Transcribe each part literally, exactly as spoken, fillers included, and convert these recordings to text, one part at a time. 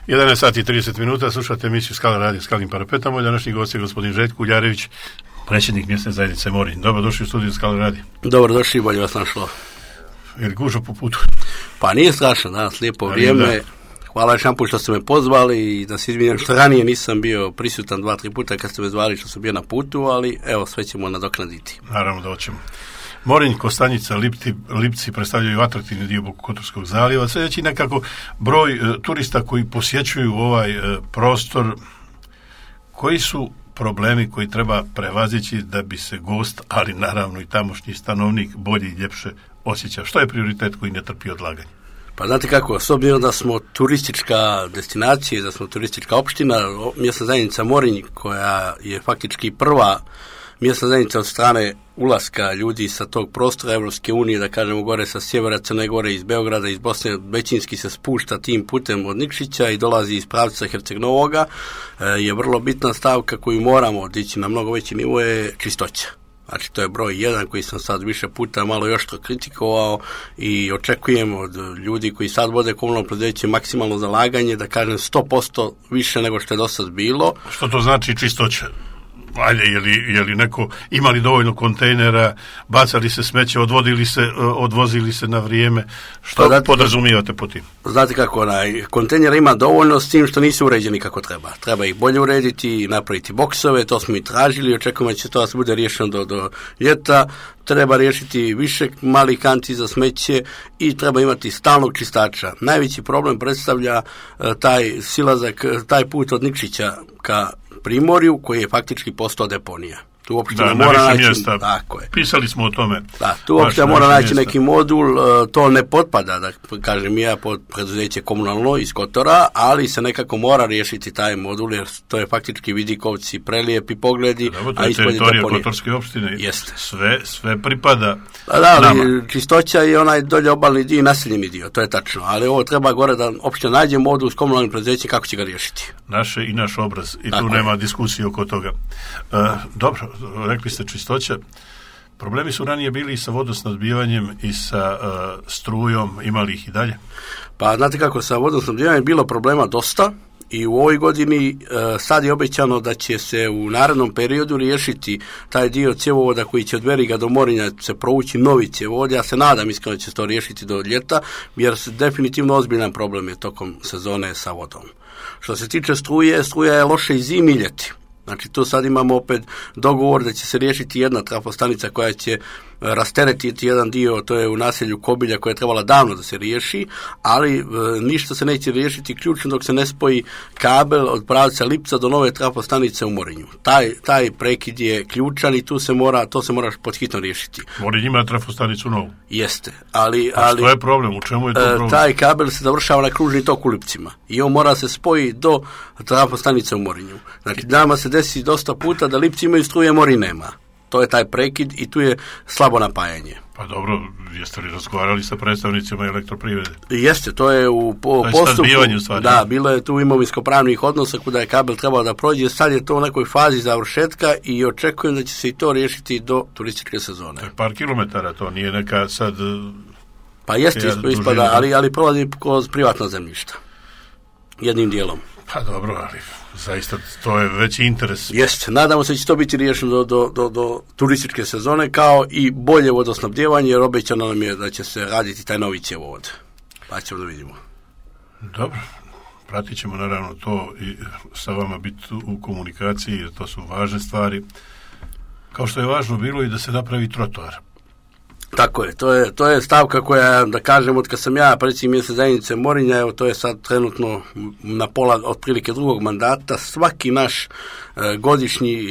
jedanaest sati i trideset minuta, slušate emisiju Skala radio Skalnim parapetom. Moj današnji gost je gospodin Željko Uljarević, predsjednik mjesne zajednice Morinj. Dobro došli u studiju Skala radio. Dobro došli, bolje vas našlo. Je li gužva po putu? Pa nije strašno, danas lijepo Ali vrijeme. da. Hvala još jedan put što ste me pozvali i da se izvinjam što ranije nisam bio prisutan dva, tri puta kad ste me zvali što sam bio na putu, ali evo sve ćemo nadoknaditi. Naravno da hoćemo. Morinj, Kostanjica, Lipti, Lipci predstavljaju atraktivni dio Bokokotorskog zaljeva. Sve veći nekako broj e, turista koji posjećuju ovaj e, prostor. Koji su problemi koji treba prevazići da bi se gost, ali naravno i tamošnji stanovnik bolje i ljepše osjećao? Što je prioritet koji ne trpi odlaganje? Pa znate kako, s obzirom da smo turistička destinacija, da smo turistička opština, mjesna zajednica Morinj, koja je faktički prva mjesna zajednica od strane ulaska ljudi sa tog prostora Evropske unije, da kažemo gore sa sjevera Crne Gore, iz Beograda, iz Bosne, većinski se spušta tim putem od Nikšića i dolazi iz pravca Herceg-Novoga, je vrlo bitna stavka koju moramo odići na mnogo veći nivo je čistoća. Znači, to je broj jedan koji sam sad više puta malo još to kritikovao i očekujem od ljudi koji sad vode komunalno preduzeće maksimalno zalaganje, da kažem sto posto više nego što je do sad bilo. Što to znači čistoća? Ajde, je li, je li neko imali dovoljno kontejnera, bacali se smeće, odvodili se, odvozili se na vrijeme? Što znate, podrazumijevate po tim? Znate kako, onaj, kontejnera ima dovoljno s tim što nisu uređeni kako treba. Treba ih bolje urediti, napraviti boksove, to smo i tražili, očekujemo da će to da se bude riješeno do, do ljeta. Treba riješiti više malih kanti za smeće i treba imati stalnog čistača. Najveći problem predstavlja uh, taj silazak, taj put od Nikšića ka Primorju, koji je faktički postao deponija. Tu uopšte da, mora naći, mjesta. Tako je. Pisali smo o tome. Da, tu uopšte mora naći mjesta. Neki modul, to ne potpada, da kažem ja, pod preduzeće komunalno iz Kotora, ali se nekako mora riješiti taj modul, jer to je faktički vidikovci, prelijepi pogledi, da, to a je ispod je teritorija deponija. Kotorske opštine. Jeste. Sve, sve pripada da, da, ali nama. Čistoća je onaj dolje obalni dio i naseljeni dio, to je tačno, ali ovo treba gore da opšte nađe modul s komunalnim preduzećem kako će ga riješiti. Naše i naš obraz i tako tu je. Nema diskusije oko toga. Uh, dobro, rekli ste čistoća. Problemi su ranije bili i sa vodosnadbivanjem i sa uh, strujom, imali ih i dalje? Pa znate kako, sa vodosnadbivanjem je bilo problema dosta i u ovoj godini uh, sad je obećano da će se u narednom periodu riješiti taj dio cjevovoda koji će od Veriga do Morinja se provući novi cjevovod. Ja se nadam iskreno da će se to riješiti do ljeta, jer se definitivno ozbiljan problem je tokom sezone sa vodom. Što se tiče struje, struja je loše i zimi i ljeti. Znači tu sad imamo opet dogovor da će se riješiti jedna trafostanica koja će rasteretiti jedan dio, to je u naselju Kobilja koja je trebala davno da se riješi, ali e, ništa se neće riješiti ključno dok se ne spoji kabel od pravca Lipca do nove trafostanice u Morinju. Taj, taj prekid je ključan i tu se mora, to se mora podhitno riješiti. Morinj ima trafostanicu novu. Jeste, ali... A što je problem? U čemu je to problem? E, taj kabel se završava na kružni tok u Lipcima i on mora se spoji do trafostanice u Morinju. Znači nama se desi dosta puta da Lipci imaju struje, Morinj nema. To je taj prekid i tu je slabo napajanje. Pa dobro, jeste li razgovarali sa predstavnicima elektroprivrede? Jeste, to je u po, je postupku. Stvari, da, bilo je tu imovinsko-pravnih odnosa kuda je kabel trebao da prođe. Sad je to u nekoj fazi završetka i očekujem da će se i to riješiti do turističke sezone. To je par kilometara, to nije neka sad... Pa jeste, ja, ispada, ali, ali prolazi kroz privatna zemljišta. Jednim dijelom. Pa dobro, ali zaista to je veći interes. Jeste, nadamo se da će to biti riješeno do, do, do, do turističke sezone, kao i bolje vodosnabdjevanje, jer obećano nam je da će se raditi taj novi cjevovod. Pa ćemo da vidimo. Dobro, pratit ćemo naravno to i sa vama biti u komunikaciji, jer to su važne stvari. Kao što je važno bilo i da se napravi trotoar. Tako je, to je, to je stavka koja, da kažem, od kad sam ja predsjednik mjesne zajednice Morinja, evo to je sad trenutno na pola otprilike drugog mandata, svaki naš e, godišnji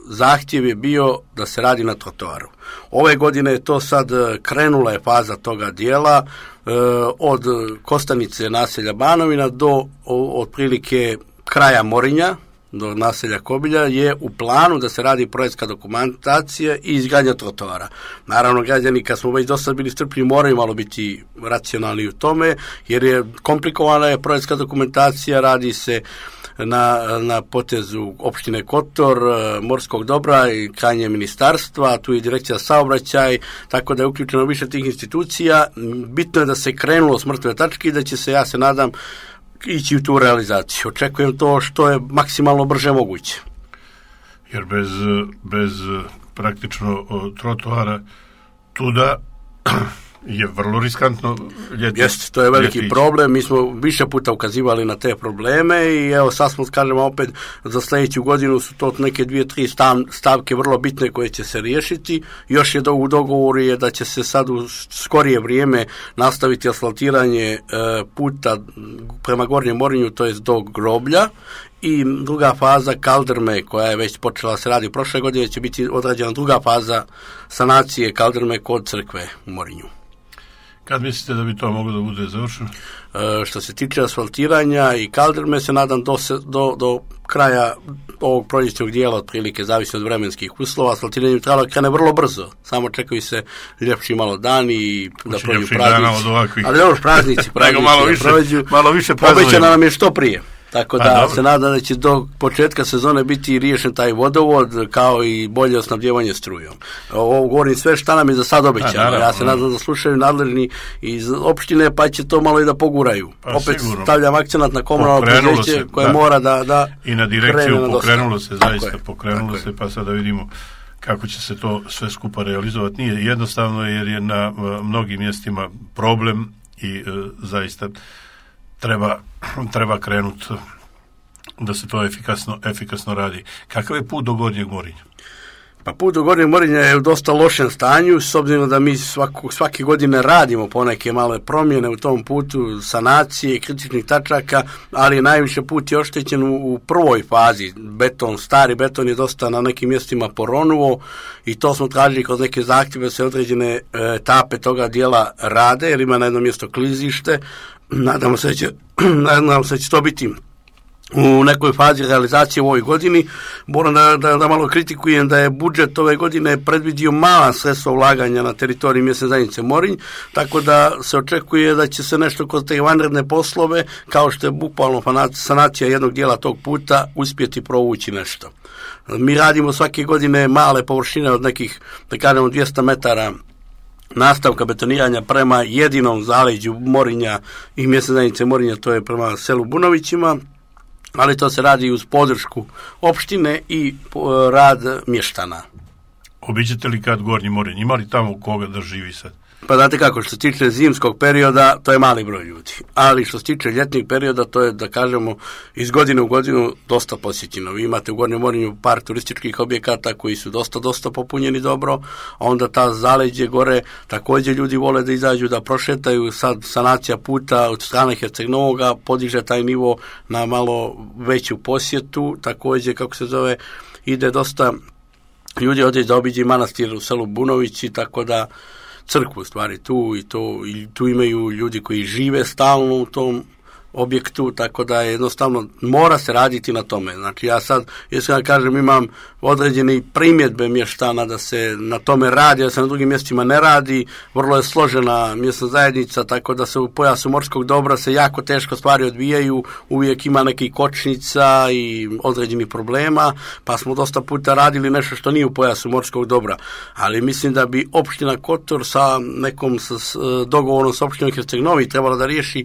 zahtjev je bio da se radi na trotoaru. Ove godine je to sad krenula je faza toga dijela, e, od Kostanice naselja Banovina do o, otprilike kraja Morinja, do naselja Kobilja, je u planu da se radi projektska dokumentacija i izgradnja trotoara. Naravno, građani, kad smo već dosta bili strpljivi, moraju malo biti racionalni u tome, jer je komplikovana je projektska dokumentacija, radi se na, na potezu opštine Kotor, morskog dobra i krajnje ministarstva, tu je direkcija saobraćaj, tako da je uključeno više tih institucija. Bitno je da se krenulo s mrtve tačke i da će se, ja se nadam, ići u tu realizaciju. Očekujem to što je maksimalno brže moguće. Jer bez, bez praktično trotoara tuda je vrlo riskantno ljeti. Jeste, to je veliki ljetić. Problem. Mi smo više puta ukazivali na te probleme i evo sad smo, kažemo opet, za sljedeću godinu su to neke dvije, tri stav, stavke vrlo bitne koje će se riješiti. Još je do, u dogovoru je da će se sad u skorije vrijeme nastaviti asfaltiranje e, puta prema Gornjem Morinju, to je do groblja. I druga faza Kaldrme, koja je već počela se radi prošle godine, će biti odrađena druga faza sanacije Kaldrme kod crkve u Morinju. Kad mislite da bi to moglo da bude završeno? E, što se tiče asfaltiranja i Kaldrme, se nadam do, se, do, do kraja ovog proljećnog dijela, otprilike, zavisno od vremenskih uslova. Asfaltiranje bi trebalo krene vrlo brzo, samo čekaju se ljepši malo dani i da prođu praznici. Ali još praznici, praznici malo više, da prođu. Malo više prazujemo. Obećano nam je što prije. Tako da A, se nada da će do početka sezone biti riješen taj vodovod, kao i bolje osnabdjevanje strujom. Ovo govorim sve šta nam je za sad obećano. Ja se nadam da slušaju nadležni iz opštine, pa će to malo i da poguraju. Pa, opet sigurno. Stavljam akcenat na komunalno preduzeće koje da. mora da, da i na direkciju pokrenulo se, zaista je. pokrenulo se, pa sada vidimo kako će se to sve skupa realizovati. Nije jednostavno jer je na uh, mnogim mjestima problem i uh, zaista treba, treba krenuti da se to efikasno, efikasno radi. Kakav je put do Gornjeg Morinja? Pa put do Gornjeg Morinja je u dosta lošem stanju, s obzirom da mi svaku, svake godine radimo poneke male promjene u tom putu, sanacije, kritičnih tačaka, ali najviše put je oštećen u, u prvoj fazi. Beton, stari beton je dosta na nekim mjestima poronuo i to smo tražili kroz neke zahtjeve da se određene e, etape toga dijela rade, jer ima na jedno mjesto klizište. Nadamo se da će, nadamo se da će to biti u nekoj fazi realizacije u ovoj godini. Moram da, da, da malo kritikujem da je budžet ove godine predvidio mala sredstva ulaganja na teritoriji mjesne zajednice Morinj, tako da se očekuje da će se nešto kroz te vanredne poslove, kao što je bukvalno sanacija jednog dijela tog puta, uspjeti provući nešto. Mi radimo svake godine male površine od nekih, da kažemo, dvjesto metara nastavka betoniranja prema jedinom zaleđu Morinja i mjesne zajednice Morinja, to je prema selu Bunovićima, ali to se radi uz podršku opštine i rad mještana. Obiđete li kad Gornji Morinj? Ima li tamo koga da živi sad? Pa znate kako, što se tiče zimskog perioda, to je mali broj ljudi. Ali što se tiče ljetnih perioda, to je, da kažemo, iz godine u godinu dosta posjećeno. Vi imate u Gornjem Morinju par turističkih objekata koji su dosta, dosta popunjeni dobro, a onda ta zaleđe gore, također ljudi vole da izađu, da prošetaju. Sad sanacija puta od strane Herceg-Novoga podiže taj nivo na malo veću posjetu. Također, kako se zove, ide dosta ljudi odjeći da obiđe manastir u selu Bunovići, tako da crkvu stvari tu i to i tu imaju ljudi koji žive stalno u tom objektu, tako da je jednostavno mora se raditi na tome. Znači ja sad, jesam kažem, imam određene primjedbe mještana da se na tome radi, da se na drugim mjestima ne radi, vrlo je složena mjesna zajednica, tako da se u pojasu morskog dobra se jako teško stvari odvijaju, uvijek ima nekih kočnica i određenih problema, pa smo dosta puta radili nešto što nije u pojasu morskog dobra, ali mislim da bi opština Kotor sa nekom sa, s, dogovorom sa opštinom Herceg-Novi trebala da riješi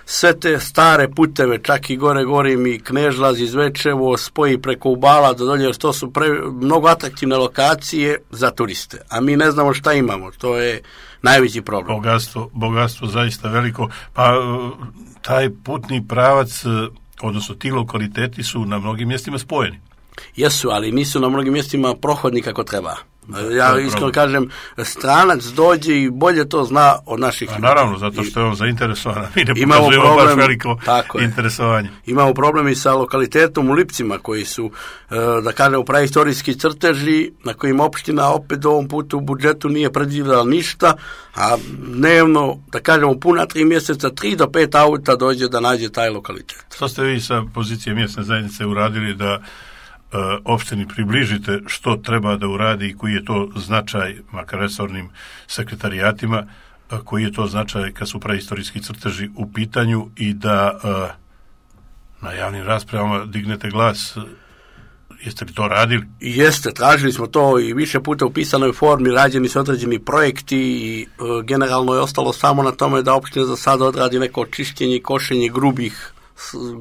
sve te stare puteve, čak i gore gorim i Knežlaz iz Zvečevo, spoji preko Ubala do dolje, jer to su pre, mnogo atraktivne lokacije za turiste, a mi ne znamo šta imamo, to je najveći problem. Bogatstvo, bogatstvo zaista veliko, pa taj putni pravac, odnosno ti lokaliteti su na mnogim mjestima spojeni. Jesu, ali nisu na mnogim mjestima prohodni kako treba. Ja iskreno kažem, stranac dođe i bolje to zna od naših ljudi. Naravno, zato što je on zainteresovan. Mi ne pokazujemo baš veliko interesovanje. Imamo problem i sa lokalitetom u Lipcima, koji su, da kažemo, prahistorijski crteži, na kojim opština opet ovom putu u budžetu nije predvidjela ništa, a dnevno, da kažemo, puna tri mjeseca, tri do pet auta dođe da nađe taj lokalitet. Što ste vi sa pozicije mjesne zajednice uradili da opštini približite što treba da uradi i koji je to značaj, makar resornim sekretarijatima, koji je to značaj kad su prahistorijski crteži u pitanju i da na javnim raspravama dignete glas? Jeste li to radili? Jeste, tražili smo to i više puta u pisanoj formi, rađeni su određeni projekti i e, generalno je ostalo samo na tome da opština za sada odradi neko čišćenje i košenje grubih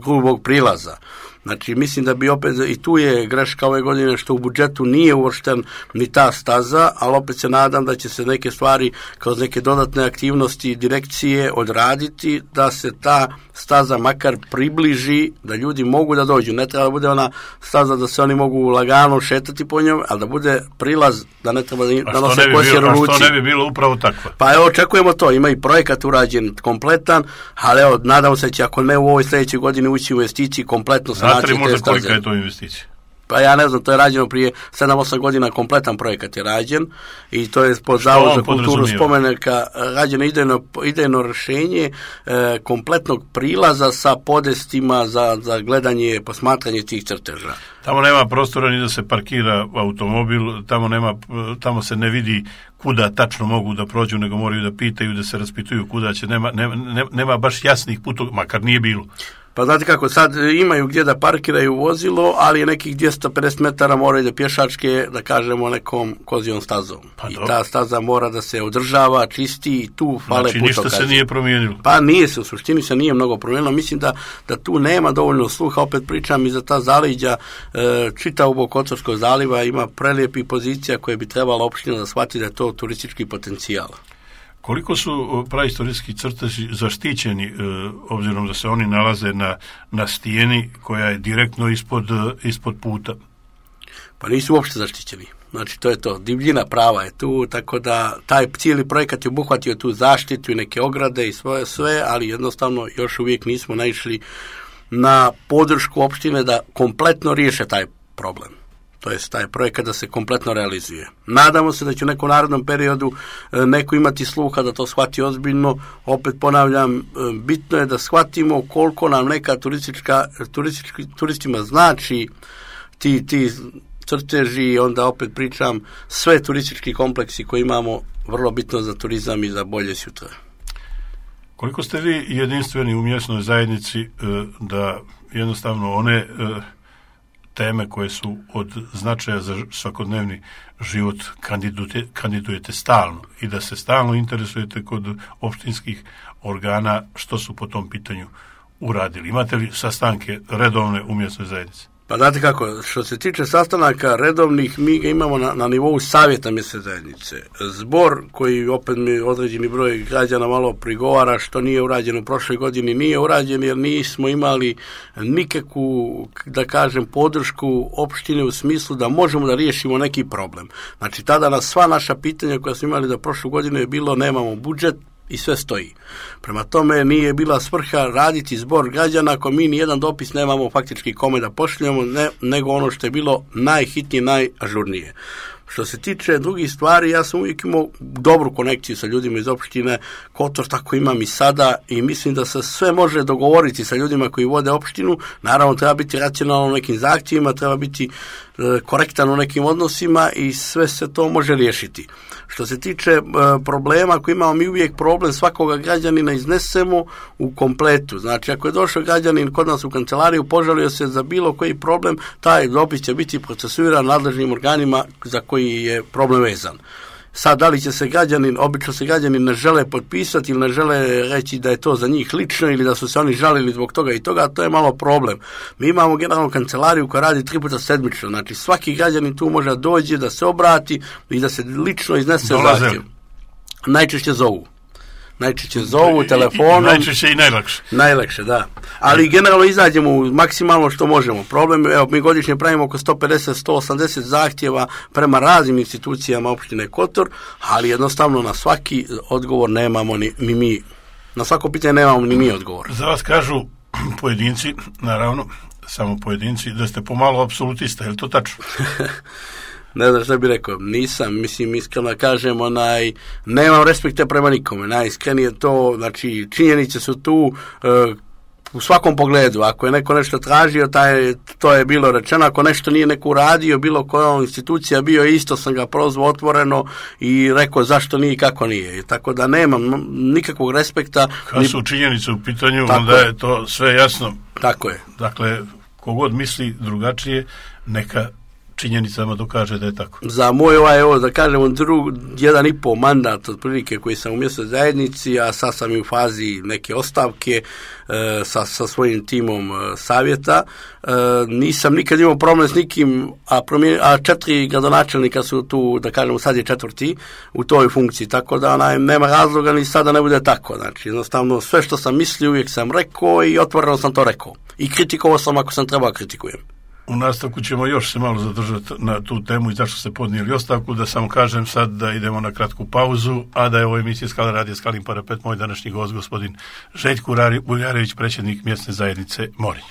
grubog prilaza. Znači, mislim da bi opet, i tu je greška ove godine što u budžetu nije uvršten ni ta staza, ali opet se nadam da će se neke stvari kroz neke dodatne aktivnosti direkcije odraditi, da se ta staza makar približi, da ljudi mogu da dođu. Ne treba da bude ona staza da se oni mogu lagano šetati po njom, ali da bude prilaz, da ne treba da, da nose kosjer u ruci. A što ne bi bilo upravo takva? Pa evo, očekujemo to. Ima i projekat urađen kompletan, ali evo, nadam se će, ako ne u ovoj sljedećoj godini, ući u investiciji kompletno sa Znate li možda kolika je to investicija? Pa ja ne znam, to je rađeno prije sedam osam godina, kompletan projekat je rađen i to je pod Zavod za kulturu spomenika rađeno idejno, idejno rješenje e, kompletnog prilaza sa podestima za, za gledanje, posmatranje tih crteža. Tamo nema prostora ni da se parkira automobil, tamo, nema, tamo se ne vidi kuda tačno mogu da prođu, nego moraju da pitaju, da se raspituju kuda će, nema, nema, nema baš jasnih putova, makar nije bilo. Pa znate kako, sad imaju gdje da parkiraju vozilo, ali je nekih dvjesto pedeset metara moraju da pješačke, da kažemo, nekom kozijom stazom. Pa I ta staza mora da se održava, čisti i tu fale znači, putokazi. Znači ništa se nije promijenilo? Pa nije se, u suštini se nije mnogo promijenilo. Mislim da, da tu nema dovoljno sluha, opet pričam i za ta zaleđa, e, čitavog Kotorskog zaliva ima prelijepih pozicija koje bi trebala opština da shvati da je to turistički potencijal. Koliko su praistorijski crteži zaštićeni, e, obzirom da se oni nalaze na, na stijeni koja je direktno ispod, ispod puta? Pa nisu uopšte zaštićeni. Znači, to je to. Divljina prava je tu, tako da taj cijeli projekat je obuhvatio tu zaštitu i neke ograde i svoje sve, ali jednostavno još uvijek nismo naišli na podršku opštine da kompletno riješe taj problem. To je taj projekat da se kompletno realizuje. Nadamo se da će u nekom narodnom periodu neko imati sluha da to shvati ozbiljno. Opet ponavljam, bitno je da shvatimo koliko nam neka turistička, turistički, turistima znači ti, ti crteži, onda opet pričam, sve turistički kompleksi koje imamo, vrlo bitno za turizam i za bolje sutra. Koliko ste vi jedinstveni u mjesnoj zajednici da jednostavno one teme koje su od značaja za svakodnevni život kandidujete, kandidujete stalno i da se stalno interesujete kod opštinskih organa što su po tom pitanju uradili? Imate li sastanke redovne u mjesnoj zajednici? Pa znate kako, što se tiče sastanaka redovnih, mi ga imamo na, na nivou savjeta mjesne zajednice. Zbor koji opet mi određeni broj građana malo prigovara što nije urađeno u prošloj godini, nije urađen jer nismo imali nikakvu, da kažem, podršku opštine u smislu da možemo da riješimo neki problem. Znači tada na sva naša pitanja koja smo imali da prošlu godinu je bilo nemamo budžet, i sve stoji. Prema tome nije bila svrha raditi zbor građana ako mi ni jedan dopis nemamo faktički kome da pošaljemo, ne, nego ono što je bilo najhitnije, najažurnije. Što se tiče drugih stvari, ja sam uvijek imao dobru konekciju sa ljudima iz opštine Kotor, tako imam i sada i mislim da se sve može dogovoriti sa ljudima koji vode opštinu. Naravno, treba biti racionalno u nekim zahtjevima, treba biti e, korektan u nekim odnosima i sve se to može riješiti. Što se tiče e, problema koji imamo, mi uvijek problem svakoga građanina iznesemo u kompletu. Znači, ako je došao građanin kod nas u kancelariju, požalio se za bilo koji problem, taj dopis će biti procesuiran nadležnim organima za koji je problem vezan. Sad, da li će se građanin, obično se građani ne žele potpisati ili ne žele reći da je to za njih lično ili da su se oni žalili zbog toga i toga, to je malo problem. Mi imamo generalnu kancelariju koja radi tri puta sedmično, znači svaki građanin tu može dođe da se obrati i da se lično iznese zahtjev. Najčešće zovu. Najčešće zovu telefonom. Najčešće i najlakše. Najlakše, da. Ali generalno izađemo maksimalno što možemo. Problem, evo, mi godišnje pravimo oko sto pedeset do sto osamdeset zahtjeva prema raznim institucijama opštine Kotor, ali jednostavno na svaki odgovor nemamo ni, ni mi. Na svako pitanje nemamo ni mi odgovor. Za vas kažu pojedinci, naravno, samo pojedinci, da ste pomalo apsolutista, je li to tačno? Ne znam što bih rekao, nisam, mislim, iskreno kažem, onaj, nemam respekta prema nikome, najiskrenije to, znači, činjenice su tu e, u svakom pogledu, ako je neko nešto tražio, taj, to je bilo rečeno, ako nešto nije neko uradio, bilo koja institucija bio, isto sam ga prozvao otvoreno i rekao zašto nije i kako nije, I tako da nemam nikakvog respekta. Kad su činjenice u pitanju, tako onda je to sve jasno. Tako je. Dakle, kogod misli drugačije, neka činjenicama dokaže da je tako. Za moj ovaj, evo, da kažemo, drug, jedan i pol mandat otprilike koji sam u mjesnoj zajednici, a sad sam i u fazi neke ostavke e, sa, sa svojim timom e, savjeta. E, nisam nikad imao problem s nikim, a, promjen, a četiri gradonačelnika su tu, da kažemo, sad je četvrti u toj funkciji, tako da onaj, nema razloga ni sada ne bude tako. Znači, jednostavno, sve što sam mislio uvijek sam rekao i otvoreno sam to rekao. I kritikovao sam ako sam trebao kritikujem. U nastavku ćemo još se malo zadržati na tu temu i zašto ste podnijeli ostavku, da samo kažem sad da idemo na kratku pauzu, a da je ovo emisija Skala radija Skalin parapet, moj današnji gost gospodin Željko Uljarević, predsjednik mjesne zajednice Morinj.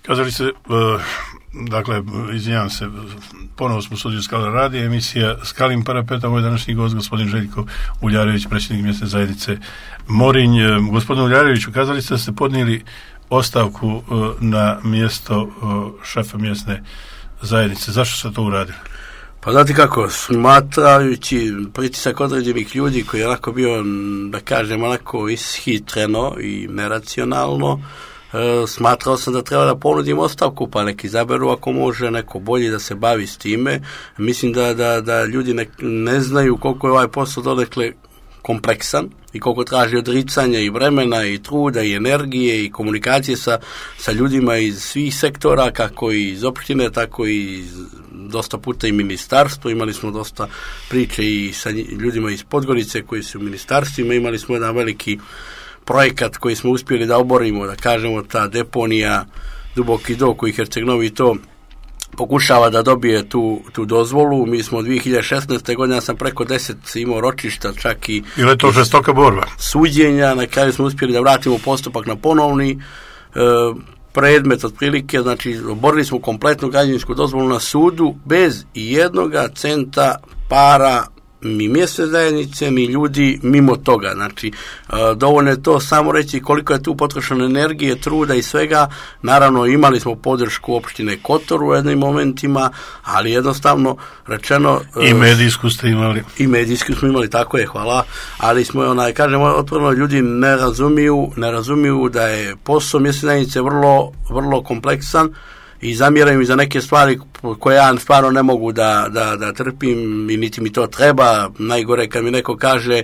Kazali se, dakle, izvinjavam se, ponovo smo u studiju Skala radija, emisija Skalin parapeta, moj današnji gost, gospodin Željko Uljarević, predsjednik mjesne zajednice Morinj. Gospodin Uljarević, ukazali ste da ste podnijeli ostavku na mjesto šefa mjesne zajednice. Zašto ste to uradili? Pa znate kako, smatrajući pritisak određenih ljudi koji je onako bio, da kažem, onako ishitreno i neracionalno, smatrao sam da treba da ponudim ostavku, pa neki izaberu ako može neko bolji da se bavi s time. Mislim da, da, da ljudi ne, ne znaju koliko je ovaj posao donekle kompleksan i koliko traži odricanja i vremena i truda i energije i komunikacije sa, sa ljudima iz svih sektora, kako i iz opštine, tako i iz, dosta puta i ministarstvo. Imali smo dosta priče i sa ljudima iz Podgorice koji su u ministarstvima. Imali smo jedan veliki projekat koji smo uspjeli da oborimo, da kažemo, ta deponija Duboki Do koji Herceg-Novi to pokušava da dobije tu, tu dozvolu. Mi smo dvije hiljade šesnaeste. godine, ja sam preko deset imao ročišta, čak i ili je to žestoka borba suđenja, na kraju smo uspjeli da vratimo postupak na ponovni e, predmet otprilike, znači oborili smo kompletnu građevinsku dozvolu na sudu bez i jednoga centa para ni mjesne zajednice, ni ljudi mimo toga. Znači, dovoljno je to samo reći koliko je tu potrošeno energije, truda i svega. Naravno, imali smo podršku opštine Kotor u jednim momentima, ali jednostavno rečeno... I medijsku ste imali. I medijsku smo imali, tako je, hvala. Ali smo, onaj, kažem, otvoreno, ljudi ne razumiju, ne razumiju da je posao mjesne zajednice vrlo, vrlo kompleksan, i zamjeram mi za neke stvari koje ja stvarno ne mogu da, da, da trpim i niti mi to treba. Najgore kad mi neko kaže e,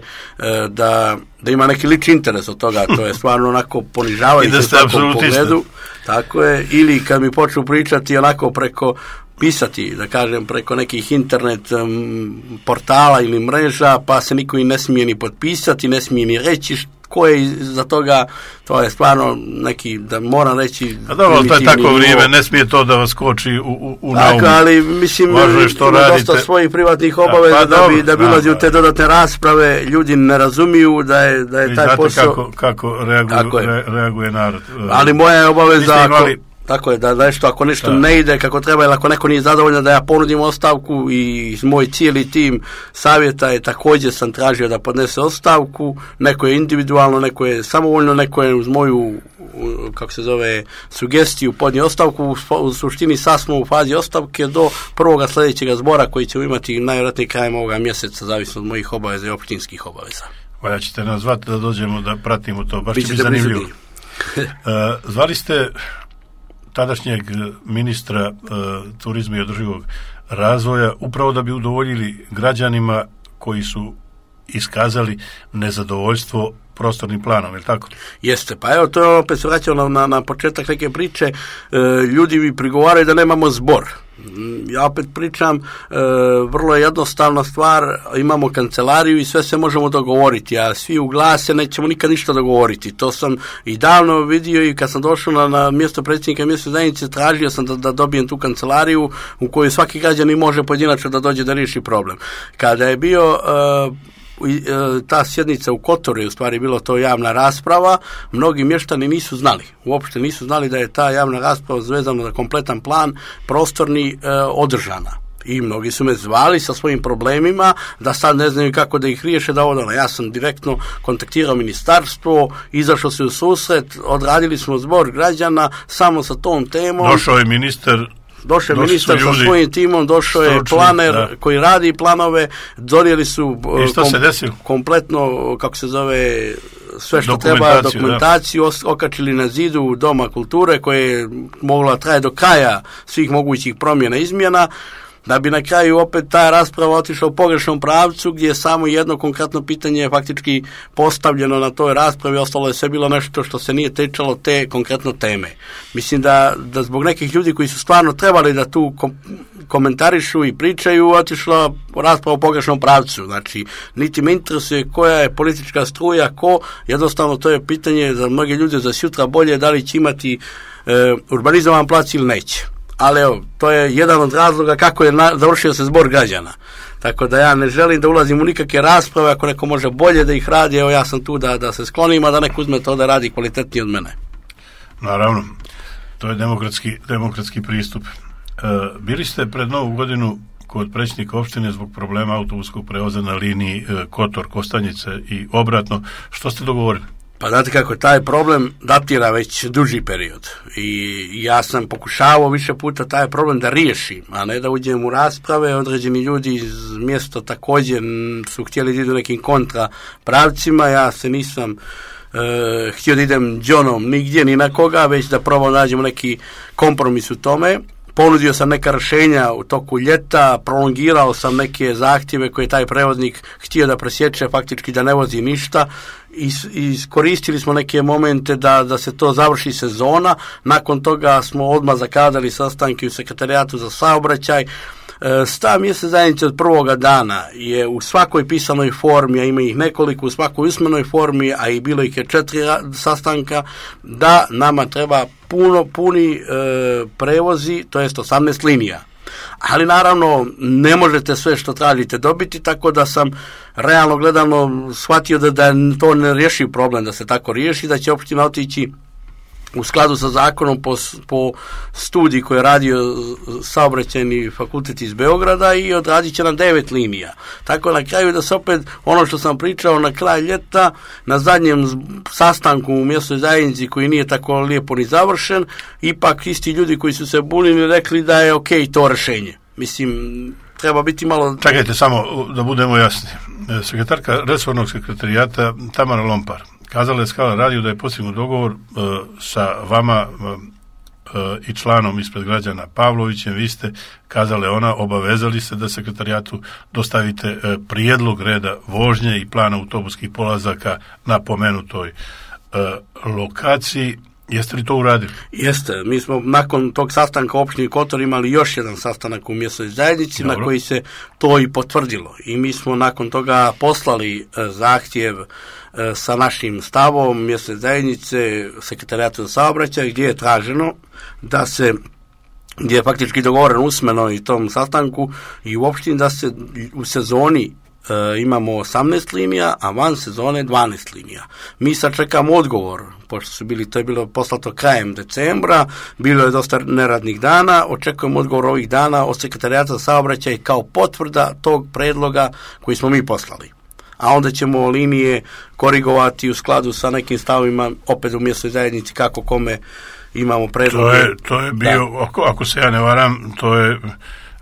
da, da ima neki lični interes od toga, to je stvarno onako ponižavajuće u svakom pogledu. Tako je, ili kad mi počnu pričati onako preko pisati, da kažem, preko nekih internet um, portala ili mreža, pa se niko i ne smije ni potpisati, ne smije ni reći ko je za toga, to je stvarno neki, da moram reći... A dobro, to je tako vrijeme, ne smije to da vas koči u, u, u naumu. Tako, ali mislim, ima dosta svojih privatnih obaveza pa, da bi, da bi ulazi u te dodatne rasprave, ljudi ne razumiju da je, da je taj znate posao... kako, kako reaguje, re, reaguje narod. Ali moja je obaveza... Tako je, da nešto, ako nešto da. ne ide kako treba ili ako neko nije zadovoljan da ja ponudim ostavku, i moj cijeli tim savjeta je također sam tražio da podnese ostavku, neko je individualno, neko je samovoljno, neko je uz moju, kako se zove, sugestiju podnio ostavku. U suštini sad smo u fazi ostavke do prvoga sljedećeg zbora koji ćemo imati najvjerojatnije krajem ovoga mjeseca, zavisno od mojih obaveza i općinskih obaveza. Valja ćete nas zvati da dođemo da pratimo to, baš će biti zanimljivo. uh, zvali ste tadašnjeg ministra uh, turizma i održivog razvoja upravo da bi udovoljili građanima koji su iskazali nezadovoljstvo prostornim planom, je li tako? Jeste, pa evo to opet se vraćamo na, na početak neke priče. E, ljudi mi prigovaraju da nemamo zbor. Ja opet pričam, e, vrlo je jednostavna stvar, imamo kancelariju i sve se možemo dogovoriti, a svi u glase nećemo nikad ništa dogovoriti. To sam i davno vidio i kad sam došao na, na mjesto predsjednika mjesne zajednice, tražio sam da, da dobijem tu kancelariju u kojoj svaki građanin može pojedinačno da dođe da riješi problem. Kada je bio... E, ta sjednica u Kotoru je u stvari bilo to javna rasprava, mnogi mještani nisu znali, uopšte nisu znali da je ta javna rasprava zvezana za kompletan plan prostorni e, održana. I mnogi su me zvali sa svojim problemima, da sad ne znaju kako da ih riješe, da odano. Ja sam direktno kontaktirao ministarstvo, izašao se u susret, odradili smo zbor građana samo sa tom temom. Došao je ministar Došao je ministar sa svojim timom, došao je planer da. koji radi planove, donijeli su kom, kompletno, kako se zove, sve što treba, dokumentaciju, da. okačili na zidu Doma kulture koje je mogla traje do kraja svih mogućih promjena izmjena, da bi na kraju opet ta rasprava otišla u pogrešnom pravcu gdje je samo jedno konkretno pitanje faktički postavljeno na toj raspravi, ostalo je sve bilo nešto što se nije tečalo te konkretno teme. Mislim da, da zbog nekih ljudi koji su stvarno trebali da tu kom, komentarišu i pričaju, otišla rasprava u pogrešnom pravcu. Znači, niti me interesuje koja je politička struja, ko, jednostavno to je pitanje za mnoge ljude za sutra bolje, da li će imati e, urbanizovan plac ili neće. Ali evo, to je jedan od razloga kako je na, završio se zbor građana. Tako da ja ne želim da ulazim u nikakve rasprave, ako neko može bolje da ih radi, evo ja sam tu da, da se sklonim, a da neko uzme to da radi kvalitetnije od mene. Naravno, to je demokratski, demokratski pristup. E, bili ste pred Novu godinu kod predsjednika opštine zbog problema autobuskog prevoza na liniji e, Kotor-Kostanjice i obratno. Što ste dogovorili? Pa znate kako, taj problem datira već duži period i ja sam pokušavao više puta taj problem da riješim, a ne da uđem u rasprave. Određeni ljudi iz mjesta također su htjeli da idu nekim kontra pravcima, ja se nisam e, htio da idem džonom nigdje ni na koga, već da probamo nađemo neki kompromis u tome. Ponudio sam neka rješenja u toku ljeta, prolongirao sam neke zahtjeve koje taj prevoznik htio da presječe, faktički da ne vozi ništa. Iskoristili smo neke momente da, da se to završi sezona. Nakon toga smo odmah zakazali sastanke u sekretarijatu za saobraćaj. Stav mjesne zajednice od prvoga dana je u svakoj pisanoj formi, a ima ih nekoliko, u svakoj usmenoj formi, a i bilo ih je četiri sastanka, da nama treba puno, puni e, prevozi, to jest osamnaest linija. Ali naravno ne možete sve što tražite dobiti, tako da sam realno gledano shvatio da, da to ne riješi problem, da se tako riješi, da će opština otići u skladu sa zakonom po, po studiji koji je radio saobraćajni fakultet iz Beograda i odradit će nam devet linija. Tako na kraju da se opet ono što sam pričao na kraj ljeta, na zadnjem sastanku u mjesnoj zajednici koji nije tako lijepo ni završen, ipak isti ljudi koji su se bunili rekli da je ok to rješenje. Mislim, treba biti malo... Čekajte samo da budemo jasni. Sekretarka resornog sekretarijata Tamara Lompar kazala je Skala radio da je postignut dogovor uh, sa vama uh, uh, i članom ispred građana Pavlovićem. Vi ste, kazale ona, obavezali se da sekretarijatu dostavite uh, prijedlog reda vožnje i plana autobuskih polazaka na pomenutoj uh, lokaciji. Jeste li to uradili? Jeste. Mi smo nakon tog sastanka u opštini Kotor imali još jedan sastanak u mjesnoj zajednici. Dobro. Na koji se to i potvrdilo. I mi smo nakon toga poslali uh, zahtjev sa našim stavom mjesne zajednice sekretarijatu za saobraćaj gdje je traženo da se, gdje je faktički dogovoreno usmeno i tom sastanku i u opštini da se u sezoni e, imamo osamnaest linija, a van sezone dvanaest linija. Mi sad čekamo odgovor, pošto su bili, to je bilo poslato krajem decembra, bilo je dosta neradnih dana, očekujemo odgovor ovih dana od sekretarijata za saobraćaj kao potvrda tog predloga koji smo mi poslali. A onda ćemo linije korigovati u skladu sa nekim stavima opet u mjesnoj zajednici kako kome imamo predlog. To je, to je bio, ako, ako se ja ne varam, to je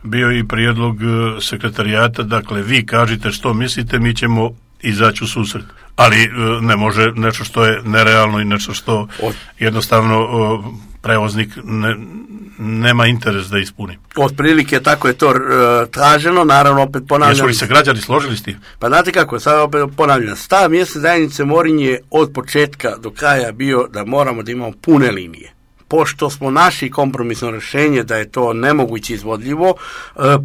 bio i prijedlog sekretarijata, dakle vi kažite što mislite, mi ćemo izaći u susret. Ali ne može nešto što je nerealno i nešto što jednostavno prevoznik ne, nema interes da ispuni. Otprilike tako je to uh, traženo, naravno opet ponavljam. Jesu li se građani složili s tim? Pa znate kako, sad opet ponavljam. Stav mjesne zajednice Morinj je od početka do kraja bio da moramo da imamo pune linije. Pošto smo našli kompromisno rješenje da je to nemoguće izvodljivo,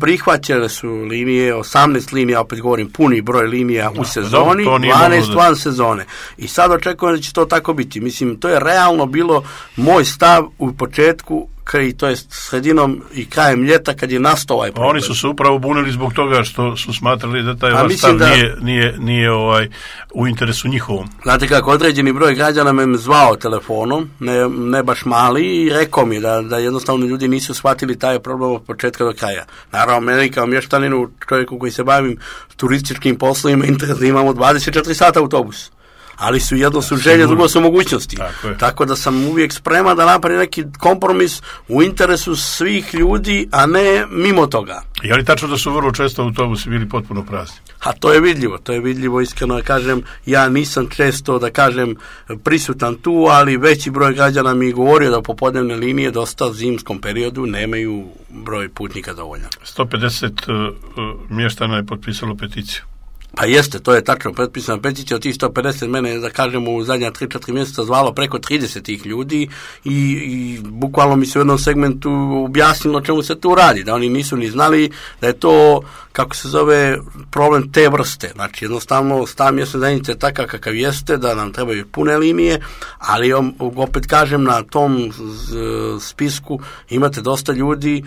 prihvaćale su linije, osamnaest linija, opet govorim puni broj linija u sezoni, dvanaest van sezone. I sad očekujem da će to tako biti. Mislim, to je realno bilo moj stav u početku, i to je sredinom i krajem ljeta kad je nastao ovaj problem. Oni su se upravo bunili zbog toga što su smatrali da taj vaš stav da, nije, nije, nije ovaj, u interesu njihovom. Znate kako, određeni broj građana me zvao telefonom, ne, ne baš mali, i rekao mi da, da jednostavno ljudi nisu shvatili taj problem od početka do kraja. Naravno, meni kao mještaninu, čovjeku koji se bavim turističkim poslovima, interes da imamo dvadeset četiri sata autobus. ali su jedno su želje, drugo su mogućnosti. Tako, Tako da sam uvijek spreman da napravim neki kompromis u interesu svih ljudi, a ne mimo toga. Je li tačno da su vrlo često autobusi bili potpuno prazni? A to je vidljivo, to je vidljivo, iskreno da kažem, ja nisam često, da kažem, prisutan tu, ali veći broj građana mi je govorio da popodnevne linije dosta u zimskom periodu nemaju broj putnika dovoljan. sto pedeset uh, mještana je potpisalo peticiju. Pa jeste, to je tačno, potpisana peticija od tih sto pedeset, mene, da kažemo, u zadnja tri četiri mjeseca zvalo preko trideset tih ljudi i, i bukvalno mi se u jednom segmentu objasnilo čemu se tu radi, da oni nisu ni znali da je to, kako se zove, problem te vrste. Znači, jednostavno, stav mjesne zajednice je takav kakav jeste, da nam trebaju pune linije, ali opet kažem, na tom spisku imate dosta ljudi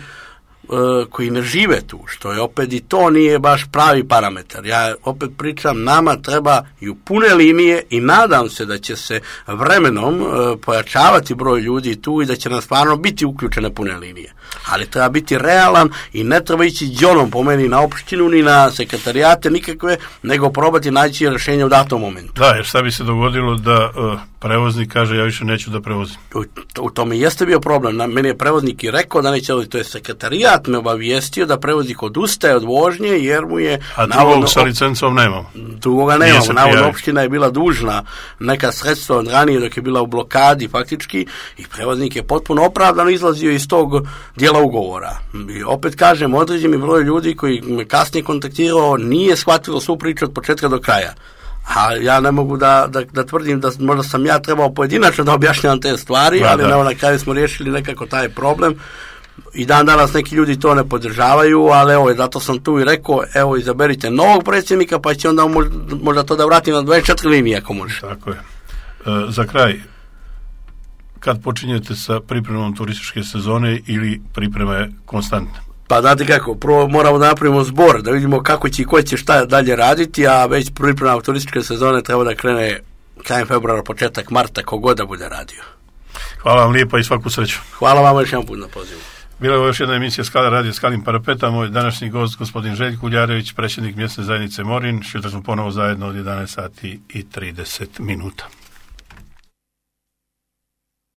koji ne žive tu, što je opet i to nije baš pravi parametar. Ja opet pričam, nama treba i u pune linije i nadam se da će se vremenom pojačavati broj ljudi tu i da će nam stvarno biti uključene pune linije. Ali treba biti realan i ne treba ići džonom po meni na opštinu ni na sekretarijate nikakve, nego probati naći rješenje u datom momentu. Da, jer šta bi se dogodilo da uh, prevoznik kaže ja više neću da prevozim? U, u tome jeste bio problem. Na, meni je prevoznik i rekao da neće, to je sekretarijat me obavijestio da prevoznik odustaje od vožnje jer mu je... A drugog navodno, sa licencom nemamo. Drugoga nemamo. Navodno opština je bila dužna neka sredstva od ranije dok je bila u blokadi faktički i prevoznik je potpuno opravdano izlazio iz tog dijela ugovora. I opet kažem, određeni broj ljudi koji me kasnije kontaktirao nije shvatilo svu priču od početka do kraja. A ja ne mogu da, da, da tvrdim da možda sam ja trebao pojedinačno da objašnjavam te stvari, da, ali da. Na kraju smo riješili nekako taj problem. I dan danas neki ljudi to ne podržavaju, ali evo, zato sam tu i rekao, evo, izaberite novog predsjednika, pa će onda možda, možda to da vratim na dvadeset četiri linije, ako može. Tako je. E, za kraj, kad počinjete sa pripremom turističke sezone ili priprema je konstantna? Pa znate kako, prvo moramo da napravimo zbor, da vidimo kako će i ko će šta dalje raditi, a već priprema turističke sezone treba da krene krajem februara, početak marta, kogod da bude radio. Hvala vam lijepa i svaku sreću. Hvala vam još jedan put na pozivu. Bila je još jedna emisija Skala radio Skalim Parapeta, moj današnji gost gospodin Željko Uljarević, predsjednik mjesne zajednice Morin. Sutra smo ponovo zajedno od jedanaest sati i trideset minuta.